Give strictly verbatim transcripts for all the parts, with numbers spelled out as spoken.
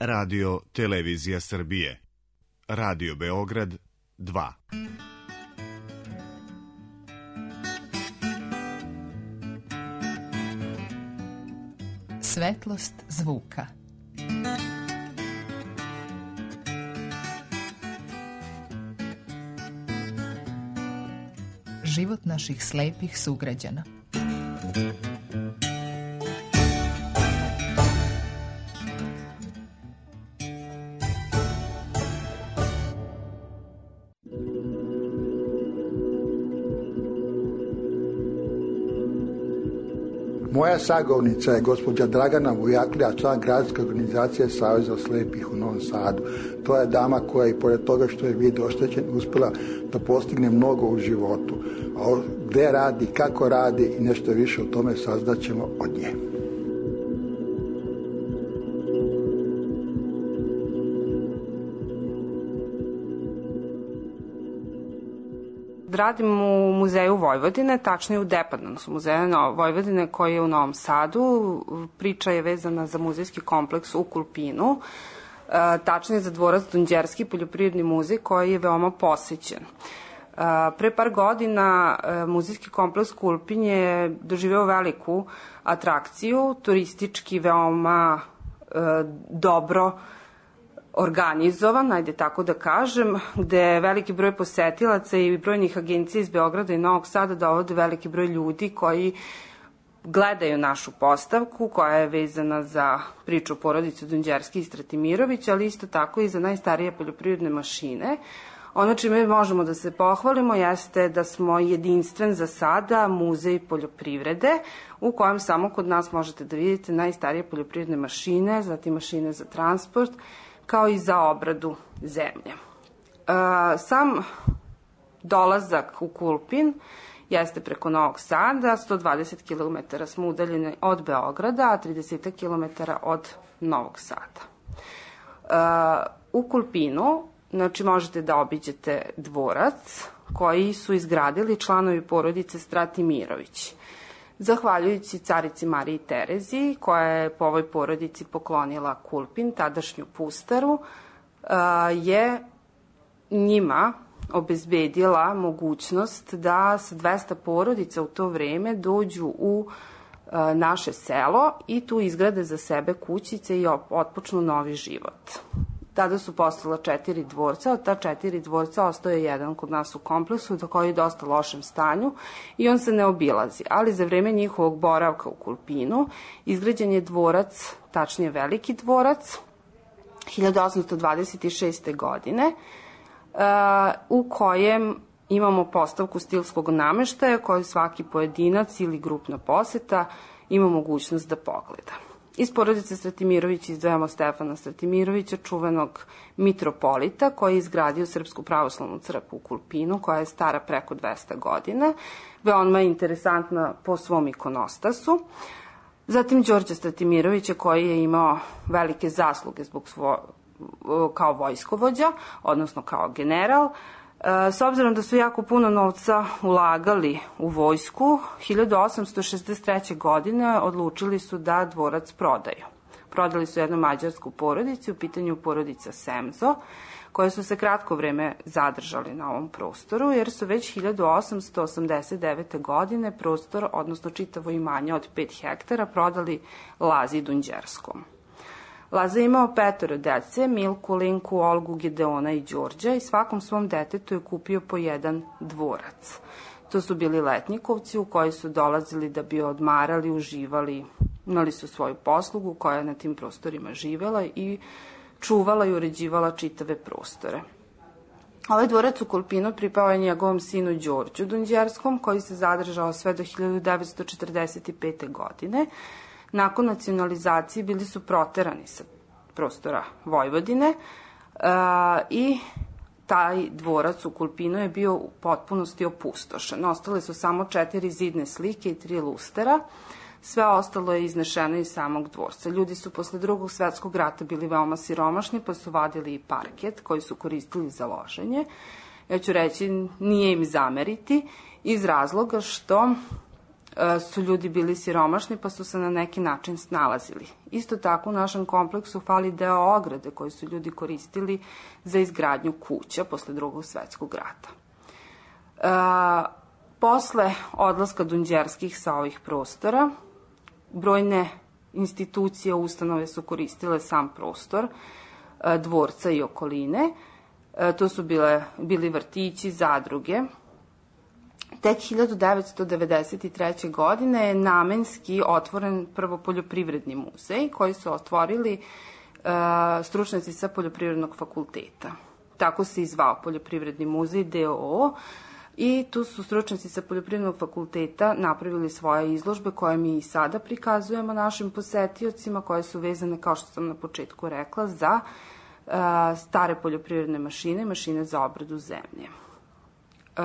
Radio Televizija Srbije. Radio Beograd dva. Svetlost zvuka. Život naših slepih sugrađana. Moja sagovornica je gospođa Dragana Vujaklija, član gradske organizacije Saveza slepih u Novom Sadu. To je dama koja i pored toga što je vid oštećen uspjela da postigne mnogo u životu. A gde radi, kako radi i nešto više o tome saznaćemo od nje. Radim u Muzeju Vojvodine, tačnije u Departmanu muzeja Vojvodine koji je u Novom Sadu. Priča je vezana za muzejski kompleks u Kulpinu, tačnije za dvorac Dunđerski poljoprivredni muzej koji je veoma posećen. Pre par godina muzejski kompleks Kulpin je doživeo veliku atrakciju, turistički veoma dobro organizovan, ajde tako da kažem, gde veliki broj posetilaca i brojnih agencija iz Beograda i Novog Sada dovode veliki broj ljudi koji gledaju našu postavku koja je vezana za priču porodice Dunđerski i Stratimirović, ali isto tako i za najstarije poljoprivredne mašine. Ono čime možemo da se pohvalimo jeste da smo jedinstven za sada muzej poljoprivrede u kojem samo kod nas možete da vidite najstarije poljoprivredne mašine, zatim mašine za transport, kao i za obradu zemlje. Sam dolazak u Kulpin jeste preko Novog Sada, sto dvadeset kilometara smo udaljeni od Beograda, a trideset kilometara od Novog Sada. U Kulpinu, znači, možete da obiđete dvorac koji su izgradili članovi porodice Stratimirović. Zahvaljujući carici Mariji Terezi, koja je po ovoj porodici poklonila Kulpin, tadašnju pustaru, je njima obezbedila mogućnost da sa dvesta porodica u to vreme dođu u naše selo i tu izgrade za sebe kućice i otpočnu novi život. Tada su postala četiri dvorca, od ta četiri dvorca ostao je jedan kod nas u kompleksu, koji je u dosta lošem stanju i on se ne obilazi. Ali za vreme njihovog boravka u Kulpinu izgrađen je dvorac, tačnije veliki dvorac, hiljadu osamsto dvadeset šeste. godine, u kojem imamo postavku stilskog nameštaja koju svaki pojedinac ili grupna poseta ima mogućnost da pogleda. Iz porodice Stratimirović izdvajamo Stefana Stratimirovića, čuvenog mitropolita koji je izgradio Srpsku pravoslavnu crkvu u Kulpinu, koja je stara preko dvesta godina, veoma je interesantna po svom ikonostasu. Zatim Đorđa Stratimirovića koji je imao velike zasluge zbog svo, kao vojskovođa, odnosno kao general. S obzirom da su jako puno novca ulagali u vojsku, hiljadu osamsto šezdeset treće. godine odlučili su da dvorac prodaju. Prodali su jednu mađarsku porodicu, u pitanju porodica Semzo, koje su se kratko vreme zadržali na ovom prostoru, jer su već hiljadu osamsto osamdeset devete. godine prostor, odnosno čitavo imanje od pet hektara, prodali Lazi Dunđerskom. Laza je imao petoro dece, Milku, Linku, Olgu, Gedeona i Đorđa, i svakom svom detetu je kupio po jedan dvorac. To su bili letnjikovci u koji su dolazili da bi odmarali, uživali, imali su svoju poslugu koja je na tim prostorima živela i čuvala i uređivala čitave prostore. Ovaj dvorac u Kulpinu pripao je njegovom sinu Đorđu Dunđerskom, koji se zadržao sve do hiljadu devetsto četrdeset pete. godine. Nakon nacionalizacije bili su proterani sa prostora Vojvodine i taj dvorac u Kulpinu je bio u potpunosti opustošen. Ostale su samo četiri zidne slike i tri lustera. Sve ostalo je iznešeno iz samog dvorca. Ljudi su posle drugog svetskog rata bili veoma siromašni, pa su vadili i parket koji su koristili za loženje. Ja ću reći, nije im zameriti, iz razloga što su ljudi bili siromašni pa su se na neki način snalazili. Isto tako u našem kompleksu fali deo ograde koji su ljudi koristili za izgradnju kuća posle drugog svetskog rata. E, posle odlaska Dunđerskih sa ovih prostora, brojne institucije, ustanove su koristile sam prostor e, dvorca i okoline. E, to su bile, bili vrtići, zadruge. Tek hiljadu devetsto devedeset treće. godine je namenski otvoren prvo poljoprivredni muzej koji su otvorili uh, stručnjaci sa poljoprivrednog fakulteta. Tako se i zvao Poljoprivredni muzej D O O i tu su stručnjaci sa poljoprivrednog fakulteta napravili svoje izložbe koje mi i sada prikazujemo našim posetiocima, koje su vezane, kao što sam na početku rekla, za uh, stare poljoprivredne mašine, mašine za obradu zemlje. Uh,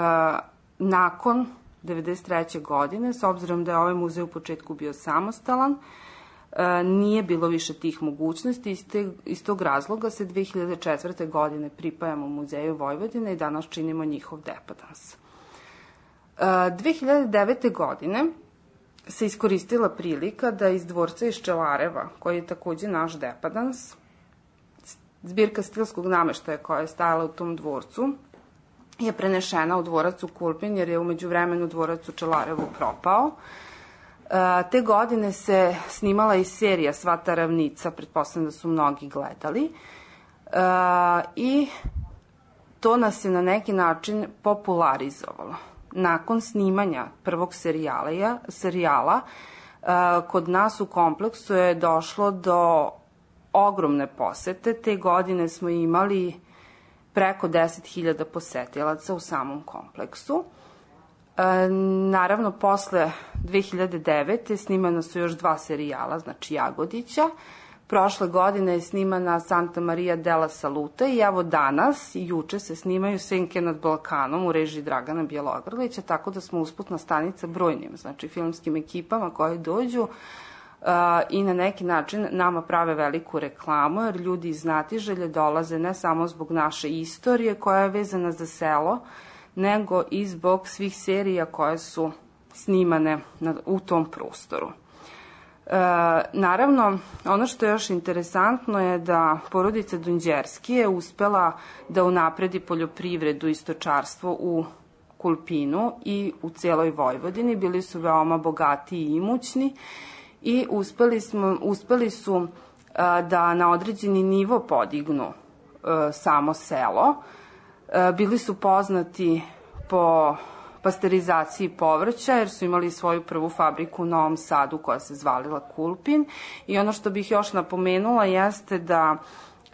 Nakon devedeset treće. godine, s obzirom da je ovaj muzej u početku bio samostalan, nije bilo više tih mogućnosti. Iz tog razloga se dve hiljade četvrte. godine pripajamo Muzeju Vojvodine i danas činimo njihov depadans. dve hiljade devete. godine se iskoristila prilika da iz dvorca iz Čelareva, koji je takođe naš depadans, zbirka stilskog nameštaja koja je stajala u tom dvorcu, je prenešena u dvorac u Kulpin, jer je umeđu vremenu dvorac u Čelarevu propao. E, te godine se snimala i serija Svata ravnica, pretpostavljam da su mnogi gledali. E, I to nas je na neki način popularizovalo. Nakon snimanja prvog serijala, serijala e, kod nas u kompleksu je došlo do ogromne posete. Te godine smo imali preko deset hiljada posetilaca u samom kompleksu. E, naravno, posle dve hiljade devete. snimana su još dva serijala, znači Jagodića. Prošle godine je snimana Santa Maria della Salute i evo danas i juče se snimaju Senke nad Balkanom u režiji Dragana Bjelogrlića, tako da smo usputna stanica brojnim, znači filmskim ekipama koje dođu Uh, i na neki način nama prave veliku reklamu, jer ljudi iz znatiželje dolaze ne samo zbog naše istorije koja je vezana za selo, nego i zbog svih serija koje su snimane na, u tom prostoru. Uh, naravno, ono što je još interesantno je da porodica Dunđerski je uspela da unapredi poljoprivredu i stočarstvo u Kulpinu i u celoj Vojvodini. Bili su veoma bogati i imućni i uspeli, smo, uspeli su a, da na određeni nivo podignu a, samo selo. A, bili su poznati po pasterizaciji povrća, jer su imali svoju prvu fabriku u Novom Sadu koja se zvalila Kulpin. I ono što bih još napomenula jeste da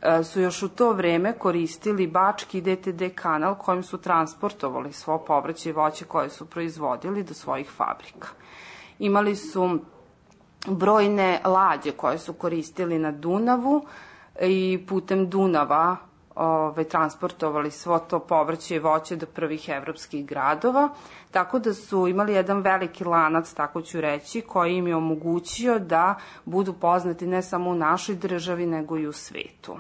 a, su još u to vreme koristili Bački D T D kanal kojim su transportovali svo povrće i voće koje su proizvodili do svojih fabrika. Imali su brojne lađe koje su koristili na Dunavu i putem Dunava ove, transportovali svo to povrće i voće do prvih evropskih gradova, tako da su imali jedan veliki lanac, tako ću reći, koji im je omogućio da budu poznati ne samo u našoj državi, nego i u svetu.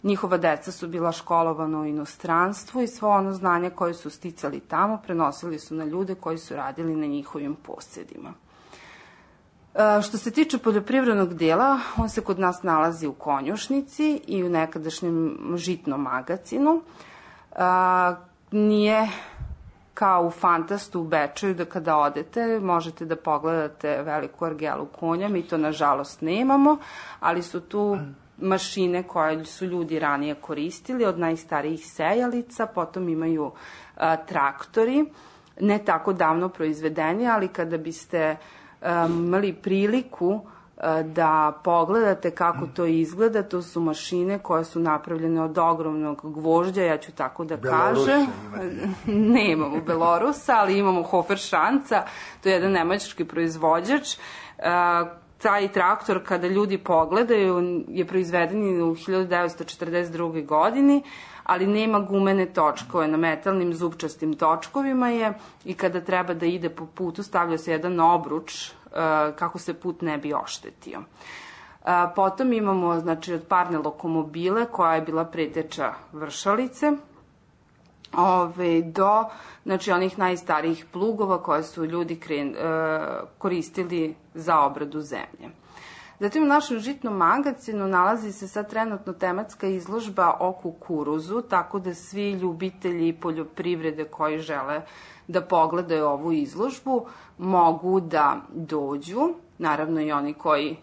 Njihova deca su bila školovana u inostranstvu i svo ono znanje koje su sticali tamo prenosili su na ljude koji su radili na njihovim posjedima. Što se tiče poljoprivrednog dela, on se kod nas nalazi u konjušnici i u nekadašnjem žitnom magacinu. Nije kao u Fantastu u Bečeju da kada odete možete da pogledate veliku ergelu konja, mi to nažalost nemamo, ali su tu mašine koje su ljudi ranije koristili, od najstarijih sejalica, potom imaju a, traktori, ne tako davno proizvedeni, ali kada biste imali priliku da pogledate kako to izgleda, to su mašine koje su napravljene od ogromnog gvožđa, ja ću tako da kažem. Ne imamo Belorusa, ali imamo Hoferšanca, to je jedan nemački proizvođač. Taj traktor, kada ljudi pogledaju, je proizveden u hiljadu devetsto četrdeset druge. godini, ali nema gumene točkove, na metalnim zupčastim točkovima je i kada treba da ide po putu stavlja se jedan obruč kako se put ne bi oštetio. Potom imamo, znači, od parne lokomobile koja je bila preteča vršalice. ove, do znači, onih najstarijih plugova koje su ljudi kren, e, koristili za obradu zemlje. Zatim u našem žitnom magazinu nalazi se sad trenutno tematska izložba o kukuruzu, tako da svi ljubitelji poljoprivrede koji žele da pogledaju ovu izložbu mogu da dođu, naravno i oni koji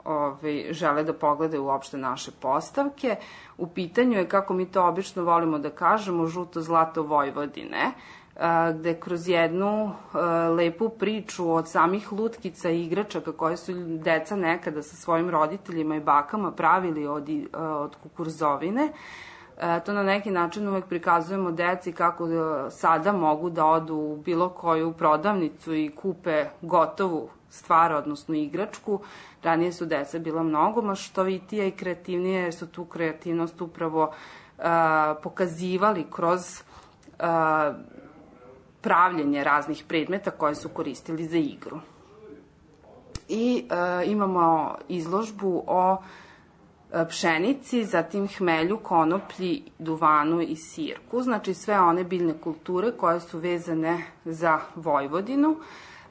ove, žele da pogledaju uopšte naše postavke. U pitanju je, kako mi to obično volimo da kažemo, žuto zlato Vojvodine, gde kroz jednu lepu priču od samih lutkica i igračaka koje su deca nekada sa svojim roditeljima i bakama pravili od, od kukurzovine, to na neki način uvek prikazujemo deci kako sada mogu da odu u bilo koju prodavnicu i kupe gotovu stvar, odnosno igračku. Ranije su deca bila mnogo maštovitija i kreativnije, jer su tu kreativnost upravo pokazivali kroz pravljenje raznih predmeta koje su koristili za igru. I e, imamo izložbu o e, pšenici, zatim hmelju, konoplji, duvanu i sirku, znači sve one biljne kulture koje su vezane za Vojvodinu,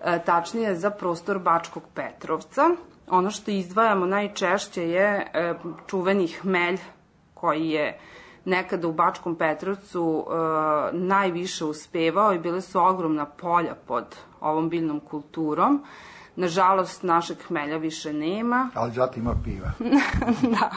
e, tačnije za prostor Bačkog Petrovca. Ono što izdvajamo najčešće je e, čuveni hmelj koji je nekada u Bačkom Petrovcu e, najviše uspevao i bile su ogromna polja pod ovom biljnom kulturom. Nažalost, našeg hmelja više nema. Ali zato ima piva. Da.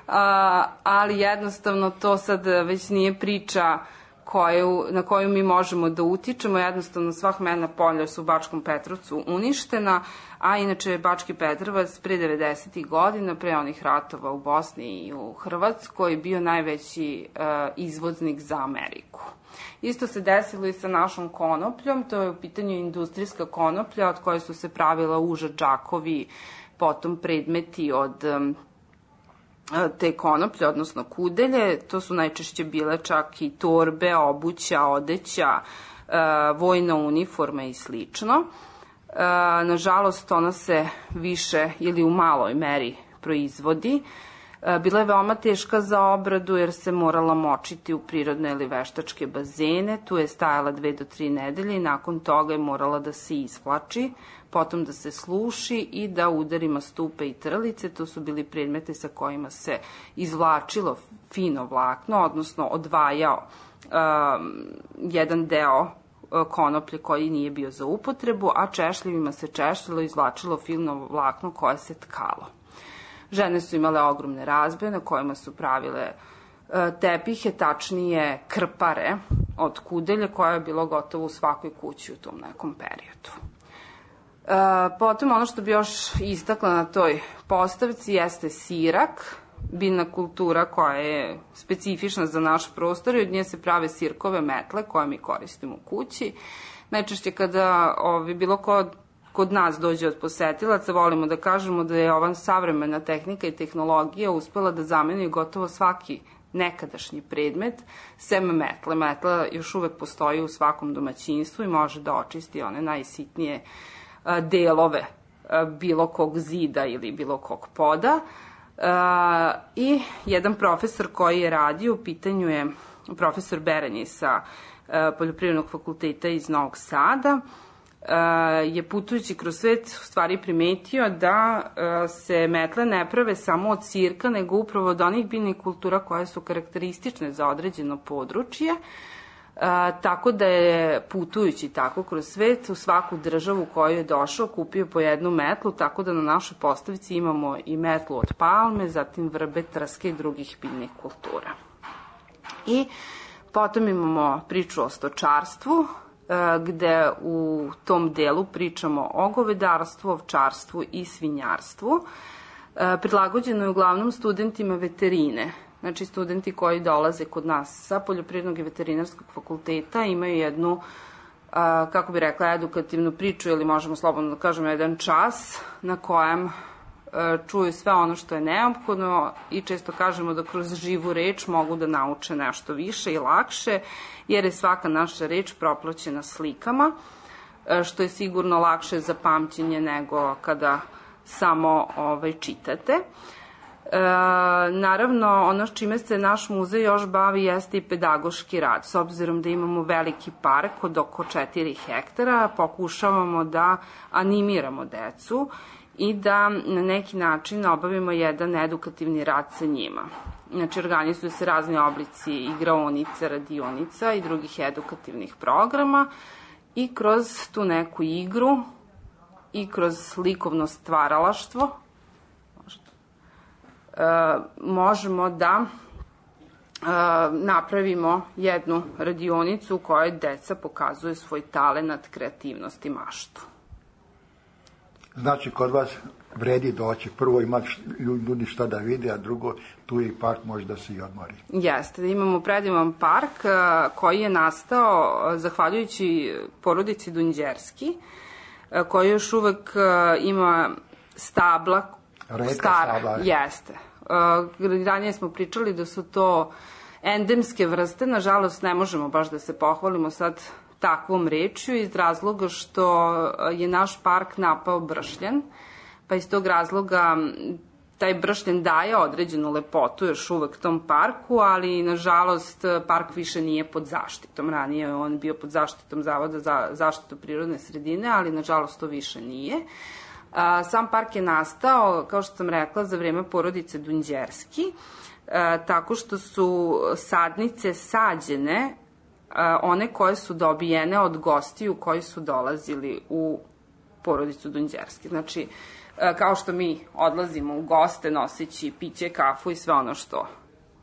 A, ali jednostavno to sad već nije priča koju, na koju mi možemo da utičemo. Jednostavno sva hmeljna polja su u Bačkom Petrovcu uništena, a inače Bački Petrovac pre devedesetih godina, pre onih ratova u Bosni i u Hrvatskoj, bio najveći uh, izvoznik za Ameriku. Isto se desilo i sa našom konopljom, to je u pitanju industrijska konoplja od koje su se pravila uža, džakovi, potom predmeti od um, te konoplje, odnosno kudelje. To su najčešće bile čak i torbe, obuća, odeća, uh, vojna uniforma i slično. Uh, nažalost, ona se više ili u maloj meri proizvodi. Bila je veoma teška za obradu jer se morala močiti u prirodne ili veštačke bazene. Tu je stajala dve do tri nedelje i nakon toga je morala da se isplači, potom da se sluši i da udarima stupe i trlice. To su bili predmeti sa kojima se izvlačilo fino vlakno, odnosno odvajao um, jedan deo konoplje koji nije bio za upotrebu, a češljivima se češljilo i izvlačilo fino vlakno koje se tkalo. Žene su imale ogromne razbe na kojima su pravile tepihe, tačnije krpare od kudelja, koja je bilo gotovo u svakoj kući u tom nekom periodu. Potom ono što bi još istakla na toj postavci jeste sirak, biljna kultura koja je specifična za naš prostor i od nje se prave sirkove metle koje mi koristimo u kući. Najčešće kada ovi, bilo ko kod nas dođe od posetilaca, volimo da kažemo da je ova savremena tehnika i tehnologija uspela da zameni gotovo svaki nekadašnji predmet, sem metle. Metla još uvek postoji u svakom domaćinstvu i može da očisti one najsitnije delove bilo kog zida ili bilo kog poda. I jedan profesor koji je radio, u pitanju je profesor Beranji sa Poljoprivrednog fakulteta iz Novog Sada, je putujući kroz svet u stvari primetio da se metle ne prave samo od sirka, nego upravo od onih biljnih kultura koje su karakteristične za određeno područje, tako da je putujući tako kroz svet u svaku državu u koju je došao kupio po jednu metlu, tako da na našoj postavici imamo i metlu od palme, zatim vrbe, trske i drugih biljnih kultura. I potom imamo priču o stočarstvu, gde u tom delu pričamo o govedarstvu, ovčarstvu i svinjarstvu. Prilagođeno je uglavnom studentima veterine, znači studenti koji dolaze kod nas sa Poljoprivrednog i veterinarskog fakulteta imaju jednu, kako bi rekla, edukativnu priču ili možemo slobodno da kažemo jedan čas na kojem čuju sve ono što je neophodno i često kažemo da kroz živu reč mogu da nauče nešto više i lakše, jer je svaka naša reč proplaćena slikama, što je sigurno lakše za pamćenje nego kada samo ovaj, čitate. E, naravno, ono s čime se naš muzej još bavi jeste i pedagoški rad. S obzirom da imamo veliki park od oko četiri hektara, pokušavamo da animiramo decu i da na neki način obavimo jedan edukativni rad sa njima. Znači, organizuju se razni oblici igraonica, radionica i drugih edukativnih programa i kroz tu neku igru i kroz likovno stvaralaštvo možemo da napravimo jednu radionicu u kojoj deca pokazuje svoj talenat, kreativnost i maštu. Znači, kod vas vredi doći. Prvo ima ljudi šta da vide, a drugo, tu je i park, može da se i odmori. Jeste, imamo predivan park koji je nastao zahvaljujući porodici Dunđerski, koji još uvek ima stabla. Reka stara, stabla. Jeste. Ranije smo pričali da su to endemske vrste, nažalost ne možemo baš da se pohvalimo sad takvom rečju iz razloga što je naš park napao bršljen, pa iz tog razloga taj bršljen daje određenu lepotu još uvek tom parku, ali nažalost park više nije pod zaštitom. Ranije je on bio pod zaštitom Zavoda za zaštitu prirodne sredine, ali nažalost to više nije. Sam park je nastao, kao što sam rekla, za vreme porodice Dunđerski, tako što su sadnice sađene, one koje su dobijene od gostiju koji su dolazili u porodicu Dunđerski. Znači, kao što mi odlazimo u goste noseći piće, kafu i sve ono što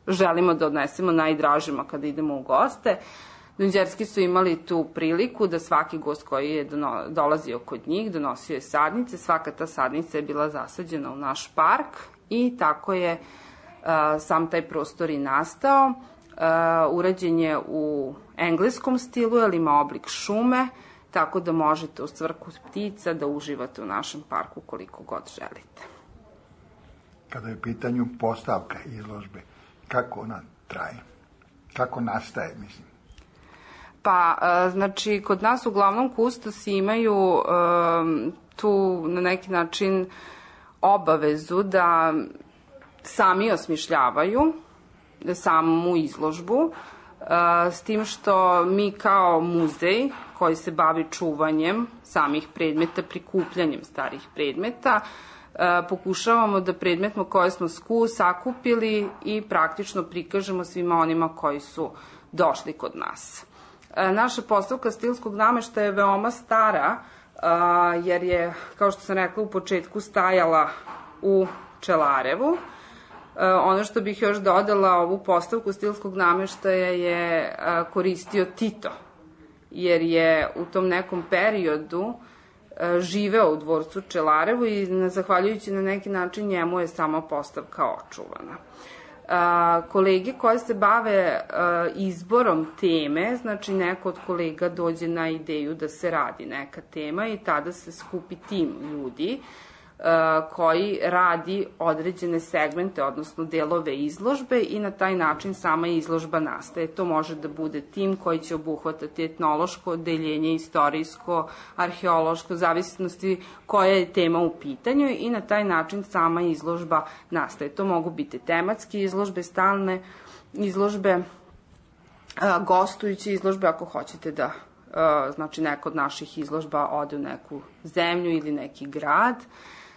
želimo da odnesemo najdražima kada idemo u goste, Dunđerski su imali tu priliku da svaki gost koji je dolazio kod njih donosio je sadnice, svaka ta sadnica je bila zasađena u naš park i tako je sam taj prostor i nastao. Urađen je u engleskom stilu, jer ima oblik šume, tako da možete u cvrku ptica da uživate u našem parku koliko god želite. Kada je u pitanju postavka izložbe, kako ona traje? Kako nastaje, mislim? Pa, znači, kod nas uglavnom kustosi imaju tu na neki način obavezu da sami osmišljavaju samu izložbu, s tim što mi kao muzej koji se bavi čuvanjem samih predmeta, prikupljanjem starih predmeta, pokušavamo da predmetmo koje smo sakupili i praktično prikažemo svima onima koji su došli kod nas. Naša postavka stilskog nameštaja je veoma stara, jer je, kao što sam rekla, u početku stajala u Čelarevu. Ono što bih još dodala, ovu postavku stilskog nameštaja je koristio Tito, jer je u tom nekom periodu živeo u dvorcu Čelarevu i zahvaljujući na neki način njemu je sama postavka očuvana. Kolege koje se bave izborom teme, znači neko od kolega dođe na ideju da se radi neka tema i tada se skupi tim ljudi koji radi određene segmente, odnosno delove izložbe i na taj način sama izložba nastaje. To može da bude tim koji će obuhvatati etnološko odeljenje, istorijsko, arheološko, zavisnosti koja je tema u pitanju i na taj način sama izložba nastaje. To mogu biti tematske izložbe, stalne izložbe, gostujuće izložbe ako hoćete da, znači neka od naših izložba ode u neku zemlju ili neki grad.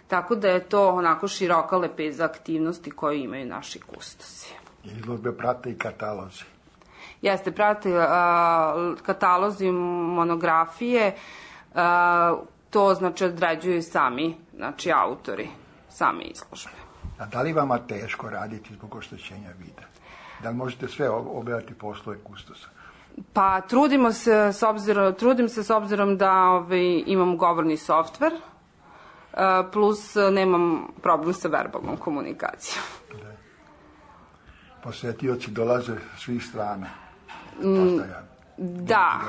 Tako da je to onako široka lepeza aktivnosti koje imaju naši kustosi. Izložbe prate i katalozi. Jeste, prate a, katalozi, monografije, a, to znači određuju sami, znači autori same izložbe. A da li vama teško raditi zbog oštećenja vida? Da li možete sve obavljati poslove kustosa? Pa trudimo se s obzirom, trudim se s obzirom da ovaj, imam govorni softver, plus nemam problem sa verbalnom komunikacijom. Posetioci dolaze svih strana. Da.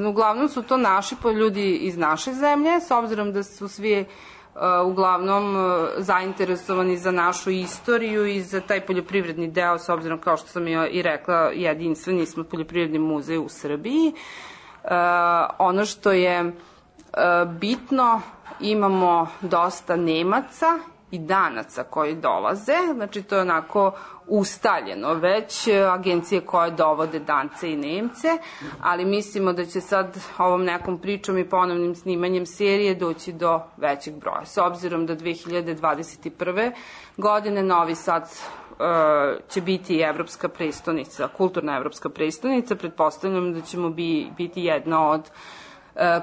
Uglavnom su to naši ljudi iz naše zemlje, s obzirom da su svi uglavnom zainteresovani za našu istoriju i za taj poljoprivredni deo, s obzirom, kao što sam i rekla, jedinstveni smo poljoprivredni muzej u Srbiji. Ono što je bitno, imamo dosta Nemaca i danaca koji dolaze, znači to je onako ustaljeno već, agencije koje dovode Dance i Nemce, ali mislimo da će sad ovom nekom pričom i ponovnim snimanjem serije doći do većeg broja. S obzirom da dve hiljade dvadeset prve. godine Novi Sad uh, će biti evropska prestonica, kulturna evropska prestonica, pretpostavljam da ćemo bi, biti jedna od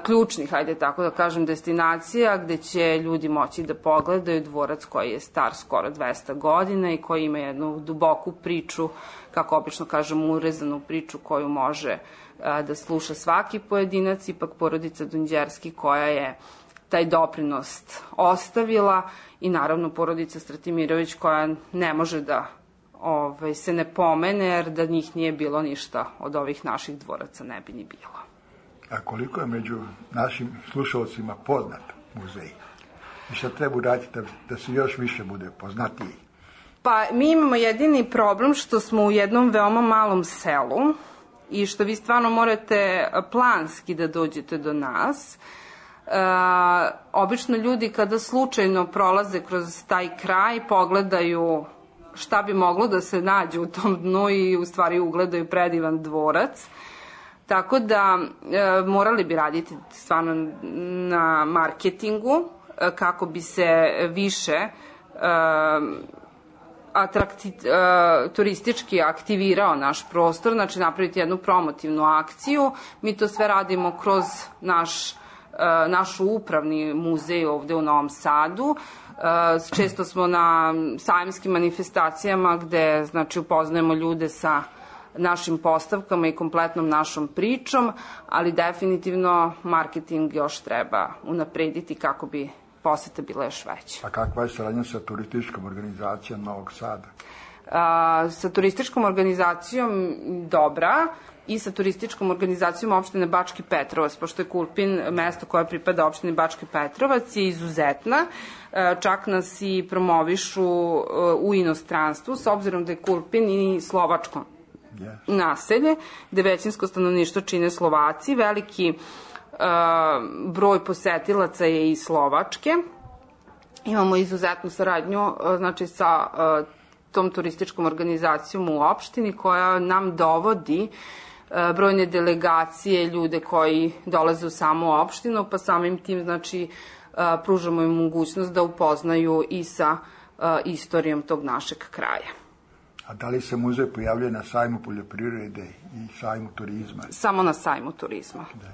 ključnih, hajde tako da kažem, destinacija gde će ljudi moći da pogledaju dvorac koji je star skoro dvesta godina i koji ima jednu duboku priču, kako obično kažem, urezanu priču koju može da sluša svaki pojedinac, ipak porodica Dunđerski koja je taj doprinos ostavila i naravno porodica Stratimirović koja ne može da ovaj, se ne pomene, jer da njih nije bilo ništa od ovih naših dvoraca ne bi ni bilo. A koliko je među našim slušalcima poznat muzej? I šta treba uraditi da, da se još više bude poznatiji? Pa mi imamo jedini problem što smo u jednom veoma malom selu i što vi stvarno morate planski da dođete do nas. E, obično ljudi kada slučajno prolaze kroz taj kraj pogledaju šta bi moglo da se nađe u tom dnu i u stvari ugledaju predivan dvorac. Tako da e, morali bi raditi stvarno na marketingu e, kako bi se više e, atrakti, e, turistički aktivirao naš prostor, znači napraviti jednu promotivnu akciju. Mi to sve radimo kroz naš, e, našu upravni muzej ovde u Novom Sadu. E, često smo na sajamskim manifestacijama gde znači, upoznajemo ljude sa našim postavkama i kompletnom našom pričom, ali definitivno marketing još treba unaprediti kako bi poseta bila još veća. A kakva je saradnja sa turističkom organizacijom Novog Sada? A, sa turističkom organizacijom dobra i sa turističkom organizacijom opštine Bački Petrovac, pošto je Kulpin mesto koje pripada opštini Bački Petrovac je izuzetna, čak nas i promovišu u inostranstvu, s obzirom da je Kulpin i slovačko naselje, gde većinsko stanovništvo čine Slovaci, veliki uh, broj posetilaca je iz Slovačke. Imamo izuzetnu saradnju uh, znači sa uh, tom turističkom organizacijom u opštini koja nam dovodi uh, brojne delegacije, ljude koji dolaze u samu opštinu, pa samim tim znači uh, pružamo im mogućnost da upoznaju i sa uh, istorijom tog našeg kraja. A da li se muzej pojavljuje na sajmu poljoprivrede i sajmu turizma? Samo na sajmu turizma. Da.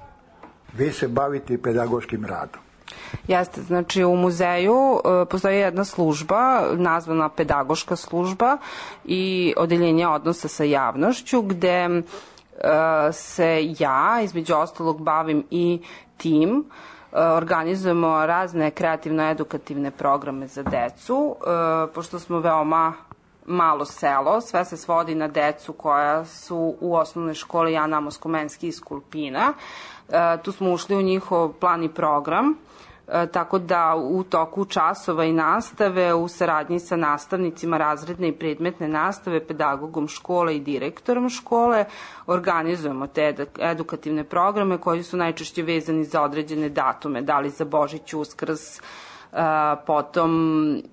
Vi se bavite pedagoškim radom. Jeste, znači u muzeju uh, postoji jedna služba, nazvana pedagoška služba i odeljenje odnosa sa javnošću, gde uh, se ja, između ostalog, bavim i tim. Uh, organizujemo razne kreativno-edukativne programe za decu, uh, pošto smo veoma malo selo, sve se svodi na decu koja su u osnovnoj školi Jan Amos Komenski iz Kulpina. E, tu smo ušli u njihov plan i program, e, tako da u toku časova i nastave u saradnji sa nastavnicima razredne i predmetne nastave, pedagogom škole i direktorom škole organizujemo te edukativne programe koji su najčešće vezani za određene datume, da li za Božić, Uskrs, Uh, potom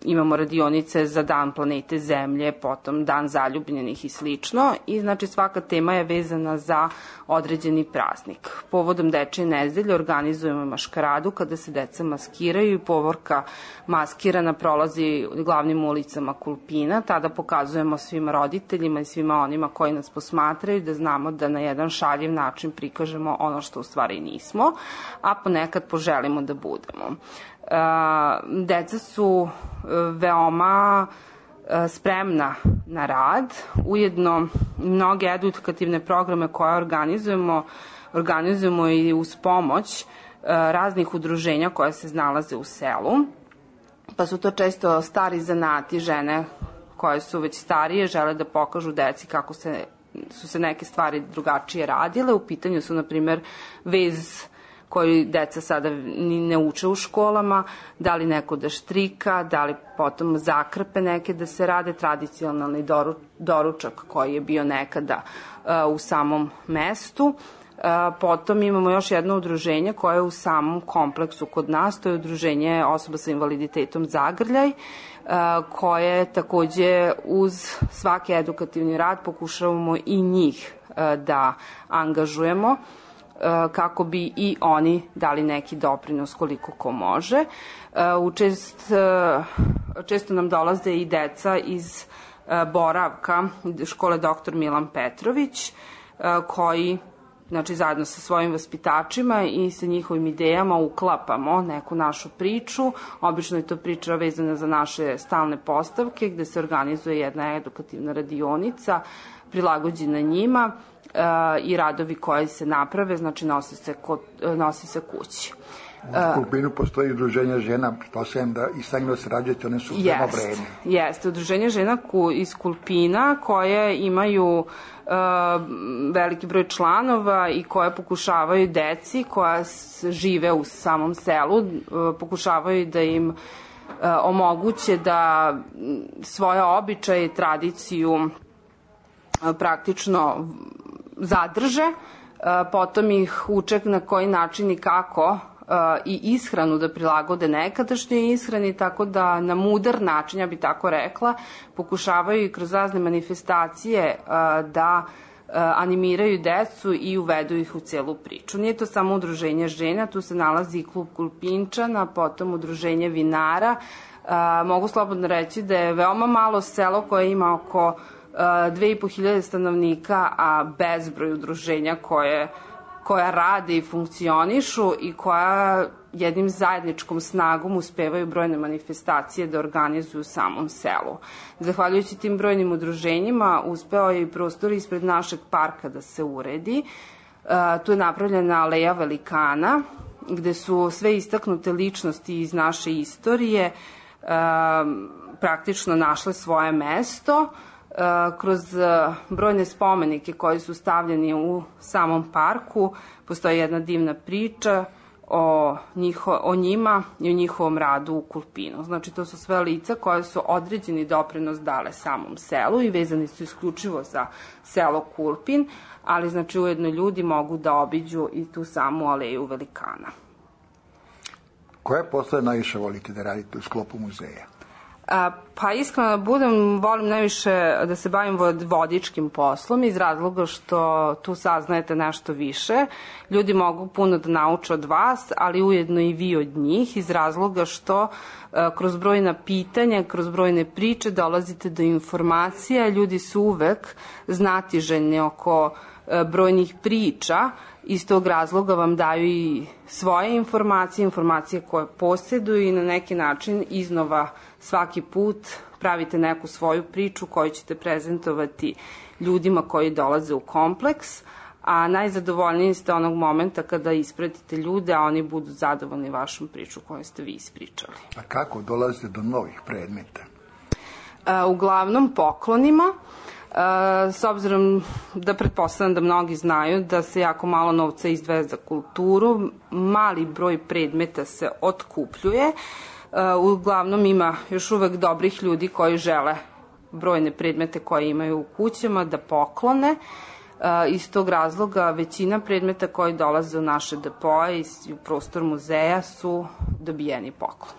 imamo radionice za dan planete Zemlje, potom dan zaljubljenih i slično i znači svaka tema je vezana za određeni praznik. Povodom Dečje nedelje organizujemo maškaradu kada se deca maskiraju i povorka maskirana prolazi glavnim ulicama Kulpina, tada pokazujemo svim roditeljima i svima onima koji nas posmatraju da znamo da na jedan šaljiv način prikažemo ono što u stvari nismo, a ponekad poželimo da budemo. Uh, deca su veoma uh, spremna na rad, ujedno mnoge edukativne programe koje organizujemo, organizujemo i uz pomoć uh, raznih udruženja koje se nalaze u selu, pa su to često stari zanati, žene koje su već starije, žele da pokažu deci kako se, su se neke stvari drugačije radile. U pitanju su, na primer, vez koji deca sada ni ne uče u školama, da li neko da štrika, da li potom zakrpe neke da se rade, tradicionalni doru, doručak koji je bio nekada uh, u samom mestu. Potom imamo još jedno udruženje koje je u samom kompleksu kod nas, to je udruženje osoba sa invaliditetom Zagrljaj, koje takođe uz svaki edukativni rad pokušavamo i njih da angažujemo kako bi i oni dali neki doprinos koliko ko može. Učest, često nam dolaze i deca iz Boravka, škole doktor Milan Petrović, koji znači zajedno sa svojim vaspitačima i sa njihovim idejama uklapamo neku našu priču. Obično je to priča vezana za naše stalne postavke gde se organizuje jedna edukativna radionica prilagođena njima i radovi koji se naprave, znači nosi se, kod, nosi se kući. U Kulpinu postoji udruženje žena, to sam da i sa njima se rađete, one su veoma vredne. Jeste, udruženje žena iz Kulpina koje imaju uh, veliki broj članova i koje pokušavaju deci koja žive u samom selu, uh, pokušavaju da im uh, omoguće da svoje običaje i tradiciju uh, praktično zadrže, uh, potom ih uče na koji način i kako i ishranu da prilagode nekadašnjoj ishrani, tako da na mudar način, ja bih tako rekla, pokušavaju i kroz razne manifestacije da animiraju decu i uvedu ih u celu priču. Nije to samo udruženje žena, tu se nalazi i klub Kulpinčana, potom udruženje vinara. Mogu slobodno reći da je veoma malo selo koje ima oko dve i po hiljade stanovnika, a bezbroj udruženja koje koja rade i funkcionišu i koja jednim zajedničkom snagom uspevaju brojne manifestacije da organizuju u samom selu. Zahvaljujući tim brojnim udruženjima uspeo je i prostor ispred našeg parka da se uredi. Tu je napravljena aleja velikana gde su sve istaknute ličnosti iz naše istorije praktično našle svoje mesto. Kroz brojne spomenike koji su stavljeni u samom parku postoji jedna divna priča o, njiho, o njima i o njihovom radu u Kulpinu. Znači to su sve lica koje su određeni doprinos dale samom selu i vezani su isključivo za selo Kulpin, ali znači ujedno ljudi mogu da obiđu i tu samu aleju velikana. Koje poslove najviše volite da radite u sklopu muzeja? A, pa iskreno da budem, volim najviše da se bavim vodičkim poslom iz razloga što tu saznajete nešto više. Ljudi mogu puno da nauče od vas, ali ujedno i vi od njih iz razloga što a, kroz brojna pitanja, kroz brojne priče dolazite do informacija. Ljudi su uvek znatiželjni oko a, brojnih priča. Iz tog razloga vam daju i svoje informacije, informacije koje posjeduju i na neki način iznova svaki put pravite neku svoju priču koju ćete prezentovati ljudima koji dolaze u kompleks, a najzadovoljniji ste onog momenta kada ispratite ljude, a oni budu zadovoljni vašom priču koju ste vi ispričali. A kako dolazite do novih predmeta? Uglavnom poklonima. S obzirom da pretpostavljam da mnogi znaju da se jako malo novca izdvaja za kulturu, mali broj predmeta se otkupljuje. Uglavnom ima još uvek dobrih ljudi koji žele brojne predmete koje imaju u kućama da poklone. Iz tog razloga većina predmeta koji dolaze u naše depoje i u prostor muzeja su dobijeni poklon.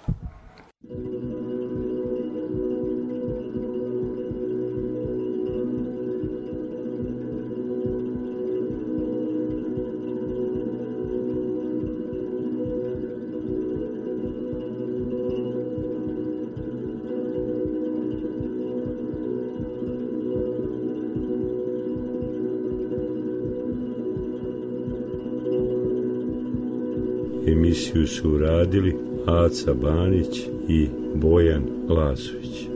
Emisiju su uradili Aca Banić i Bojan Lazović.